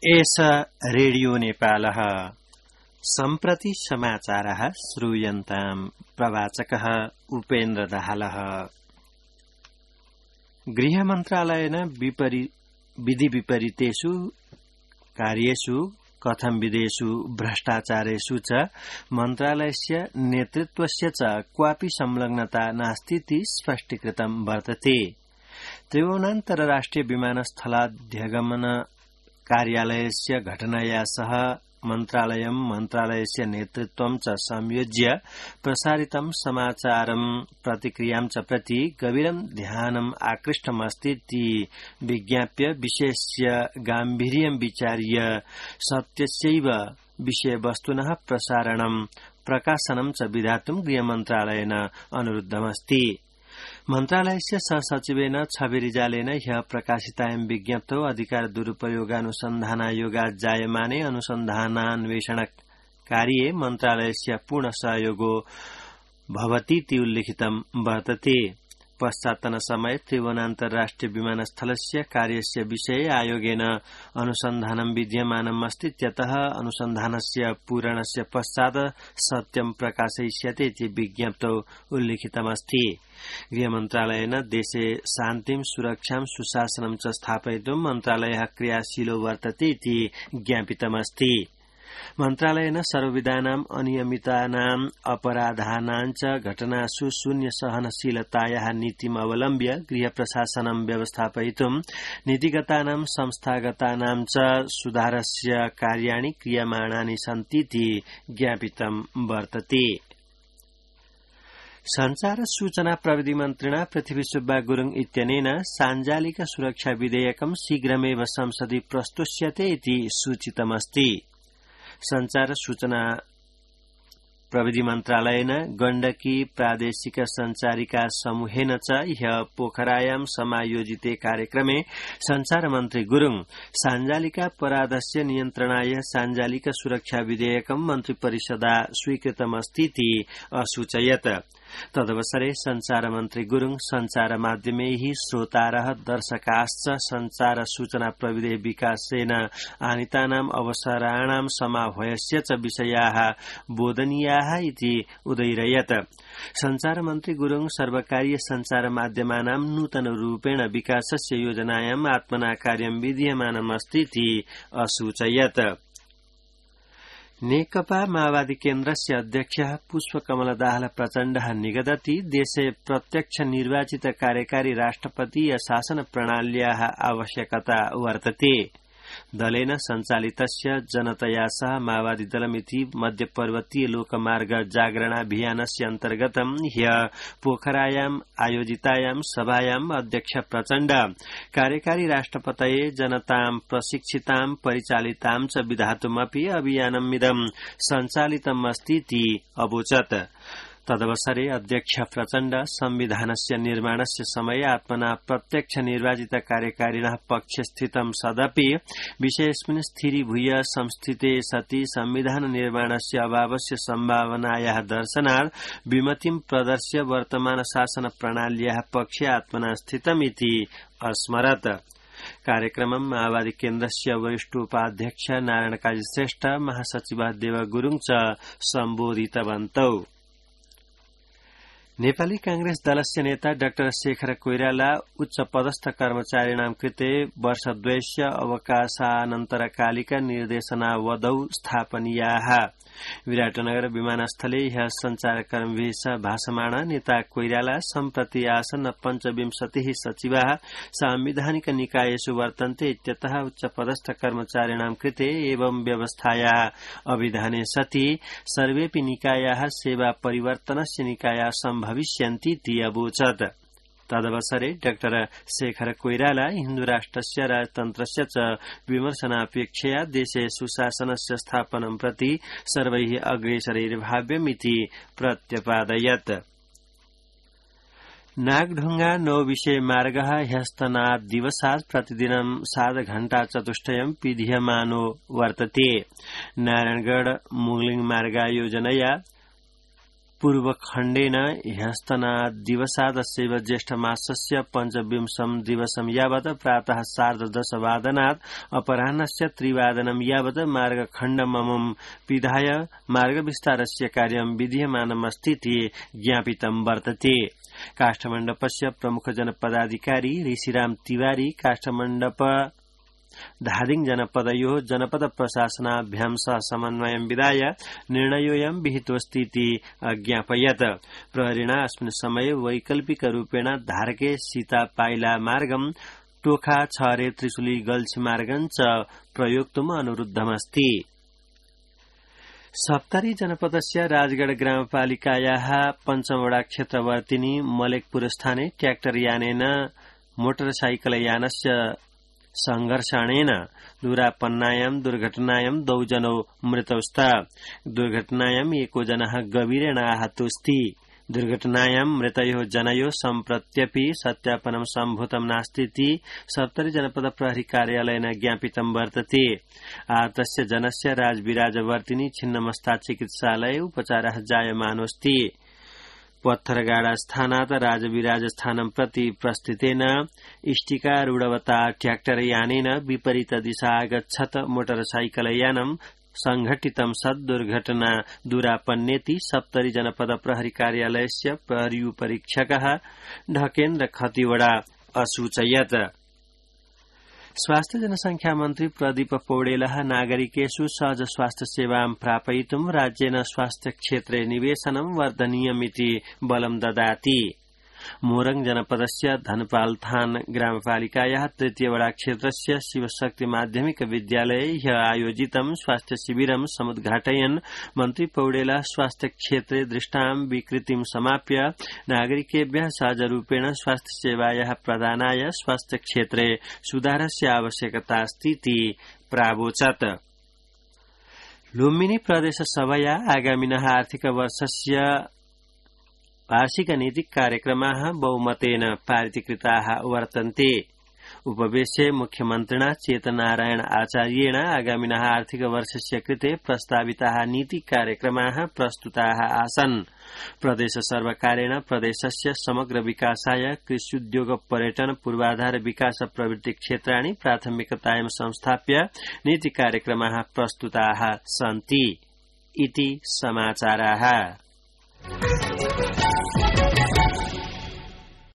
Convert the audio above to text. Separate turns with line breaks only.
एष रेडियो नेपालः सम्प्रति समाचारः श्रूयन्ताम् प्रवाचकः उपेन्द्र दाहालः। गृहमन्त्रालयेन विधि विपरीतेषु कार्येषु कथंविदेषु भ्रष्टाचारेषु च मन्त्रालयस्य नेतृत्वस्य च क्वापि संलग्नता नास्तीति स्पष्टीकृतं वर्तते। त्रिभुवनान्तरराष्ट्रिय विमानस्थलाध्यगमन कार्यालयस्य घटनाया सह मन्त्रालयस्य नेतृत्वं च संयोज्य प्रसारितं समाचारं प्रतिक्रियां च प्रति गभीरं ध्यानम् आकृष्टमस्तीति विज्ञाप्य विषयस्य गाम्भीर्यं विचार्य सत्यस्यैव विषयवस्तुनः प्रसारणं प्रकाशनं च विधातुं गृहमन्त्रालयेन अनुरुद्धमस्ति। मन्त्रालयस्य सहसचिवेन छवि रिजालेन ह्यः प्रकाशितायां विज्ञप्तौ अधिकार दुरुपयोगानुसन्धानायोगात् जायमाने अनुसन्धानान्वेषण कार्ये मन्त्रालयस्य पूर्ण सहयोगो भवतीति उल्लिखितं वर्तते। पश्चात्तन समये त्रिभुवनान्तरराष्ट्रिय विमानस्थलस्य कार्यस्य विषये आयोगेन अनुसन्धानं विद्यमानम् अस्तीत्यतः अनुसन्धानस्य पूरणस्य पश्चात् सत्यं प्रकाशयिष्यते इति विज्ञप्तौ उल्लिखितमस्ति। गृहमन्त्रालयेन देशे शान्तिं सुरक्षां सुशासनं च स्थापयितुं मन्त्रालयः क्रियाशीलो वर्तते इति ज्ञापितमस्ति। मन्त्रालयेन सर्वविधानाम् अनियमितानाम् अपराधानां च घटनासु शून्य सहनशीलतायाः नीतिम् अवलम्ब्य गृह प्रशासनं व्यवस्थापयितुं नीतिगतानां संस्थागतानां च सुधारस्य कार्याणि क्रियमाणानि सन्तीति ज्ञापितं वर्तते। संचार सूचना प्रविधि मन्त्रिणा पृथ्वीसुब्बा गुरुङ इत्यनेन साञ्जालिक सुरक्षा विधेयकं शीघ्रमेव संसदि प्रस्तुष्यते इति सूचितमस्ति। संचार सूचना प्रविधि मन्त्रालयेन गण्डकी प्रादेशिक संचारिका समूहेन च ह्यः पोखरायां समायोजिते कार्यक्रमे संचार मन्त्री गुरुङ साञ्जालिकापराधस्य नियन्त्रणाय साञ्जालिक सुरक्षा विधेयकं मन्त्रिपरिषदा स्वीकृतमस्तीति असूचयत्। तदवसरे संचार मन्त्री गुरुङ संचार माध्यमैः श्रोतारः दर्शकाश्च संचार सूचना प्रविधि विकासेन आनीतानाम् अवसराणां समाह्वयस्य च विषयाः बोधनीयाः इति उदयिरयत्। संचार मन्त्री गुरुङ सर्वकारीय संचार माध्यमानां नूतन रूपेण विकासस्य योजनायाम् आत्मना कार्यं विधीयमानमस्तीति असूचयत्। नेकपा माओवादी केन्द्रस्य अध्यक्षः पुष्पकमल दाहाल प्रचण्डः निगदति देशे प्रत्यक्ष निर्वाचित कार्यकारी राष्ट्रपतीय शासन प्रणाल्याः आवश्यकता वर्तते। दलेन सञ्चालितस्य जनतया सह माओवादी दलमिति मध्यपर्वतीय लोकमार्ग जागरणाभियानस्य अन्तर्गतं ह्यः पोखरायाम् आयोजितायां सभायाम् अध्यक्ष प्रचण्ड कार्यकारी राष्ट्रपतये जनतां प्रशिक्षितां परिचालितां च विधातुमपि अभियानमिदं सञ्चालितमस्तीति अवोचत्। तदवसरे अध्यक्ष प्रचण्ड संविधानस्य निर्माणस्य समये आत्मना प्रत्यक्ष निर्वाचित कार्यकारिणः पक्षे स्थितं सदपि विषयेऽस्मिन् स्थिरीभूय संस्थिते सति संविधान निर्माणस्य अभावस्य सम्भावनायाः दर्शनात् विमतिं प्रदर्श्य वर्तमान शासन प्रणाल्याः पक्षे आत्मना स्थितमिति अस्मरत्। कार्यक्रमं माओवादी केन्द्रस्य वरिष्ठोपाध्यक्ष नारायण काजी श्रेष्ठ महासचिव देव गुरुङ च सम्बोधितवन्तौ। नेपाली कांग्रेस दलस्य नेता डाक्टर शेखर कोइराला उच्च पदस्थ कर्मचारिणां कृते वर्षद्वयस्य अवकाशानन्तरकालिक निर्देशनावधौ स्थापनीयाः। विराटनगर विमानस्थले ह्यः संचारकर्मीभिः सह भाषमाण नेता कोइराला सम्प्रति आसन्न 25 सचिवाः सांविधानिक निकायेषु वर्तन्ते इत्यतः उच्च पदस्थ कर्मचारिणां कृते एवं व्यवस्थायाः अभिधाने सति सर्वेऽपि निकायाः सेवा परिवर्तनस्य निकायाः सम्भविष्यन्तीति अवोचत्। तदवसरे डाक्टर शेखर कोइराला हिन्दुराष्ट्रस्य राजतन्त्रस्य च विमर्शनापेक्षया देशे सुशासनस्य स्थापनं प्रति सर्वैः अग्रेसरैर्भाव्यमिति प्रत्यपादयत्। नागढुंगा नौविषय मार्गः ह्यस्तनाद्दिवसात् प्रतिदिनं 7 घण्टा चतुष्टयं पिधीयमानो वर्तते। नारायणगढ़ मुगलिंग मार्गायोजनया पूर्वखण्डेन ह्यस्तनादिवसादस्यैव ज्येष्ठमासस्य पञ्चविंशं दिवसं यावत् प्रातः 10:30 अपराह्नस्य 3 यावत् मार्गखण्डममुं पिधाय मार्गविस्तारस्य कार्यं विधीयमानमस्तीति ज्ञापितं वर्तते। काष्ठमण्डपस्य प्रमुख जनपदाधिकारी ऋषिराम तिवारी काष्ठमण्डप धादिङ जनपदयोः जनपद प्रशासनाभ्यां सह समन्वयं विधाय निर्णयोऽयं विहितोऽस्तीति अज्ञापयत्। प्रहरिणा अस्मिन् समये वैकल्पिकरूपेण धारके सीतापाइला मार्गं टोखा छरे त्रिशुली गल्छी मार्गं च प्रयोक्तुम् अनुरुद्धमस्ति। सप्तरी जनपदस्य राजगढ़ ग्रामपालिकायाः पञ्चमवडा क्षेत्रवर्तिनी मलेकपुर स्थाने ट्र्याक्टर यानेन मोटरसाइकलयानस्य संघर्षणेन दूरापन्नायां दुर्घटनायां 2 जनौ मृतौ स्तः। दुर्घटनायां एको जनः गभीरेण आहतोऽस्ति। दुर्घटनायां मृतयोः जनयोः सम्प्रत्यपि सत्यापनं सम्भूतं नास्तीति सप्तरी जनपद प्रहरी कार्यालयेन ज्ञापितं वर्तते। आहतस्य जनस्य राजविराजवर्तिनी छिन्नमस्ता चिकित्सालये उपचारः जायमानोऽस्ति। पत्थरगाडा स्थानात् राजविराज स्थानं प्रति प्रस्थितेन इष्टिकारूढवता ट्र्याक्टर यानेन विपरीत दिशा आगच्छत् मोटरसाइकलयानं संघटितं सत् दुर्घटना दूरापन्नेति सप्तरी जनपद प्रहरी कार्यालयस्य प्रहरीपरीक्षकः ढकेन्द्र खतिवड़ा असूचयत्। स्वास्थ्य जनसंख्या मन्त्री प्रदीप पौडेलः नागरिकेषु सहज स्वास्थ्य सेवां प्रापयितुं राज्येन स्वास्थ्य क्षेत्रे निवेशनं वर्धनीयमिति बलं ददाति। मोरङ जनपदस्य धनपालथान ग्रामपालिकायाः तृतीयवडा क्षेत्रस्य शिवशक्ति माध्यमिक विद्यालये ह्यः आयोजितं स्वास्थ्य शिबिरं समुद्घाटयन् मन्त्री पौडेलः स्वास्थ्य क्षेत्रे दृष्टां विकृतिं समाप्य नागरिकेभ्यः सहजरूपेण स्वास्थ्य सेवायाः प्रदानाय स्वास्थ्य क्षेत्रे सुधारस्य आवश्यकता अस्तीति प्रावोचत्। लुम्बिनी प्रदेश सभया आगामिनः आर्थिक वर्षस्य वार्षिक नीति कार्यक्रमाः बहुमतेन पारितीकृताः वर्तन्ते। उपवेशे मुख्यमन्त्रिणा चेतनारायण आचार्येण आगामिनः आर्थिक वर्षस्य कृते प्रस्ताविताः नीति कार्यक्रमाः प्रस्तुताः आसन्। प्रदेश सर्वकारेण प्रदेशस्य समग्र विकासाय कृष्युद्योग पर्यटन पूर्वाधार विकास प्रवृत्ति क्षेत्राणि प्राथमिकतायां संस्थाप्य नीति कार्यक्रमाः प्रस्तुताः सन्ति इति समाचाराः।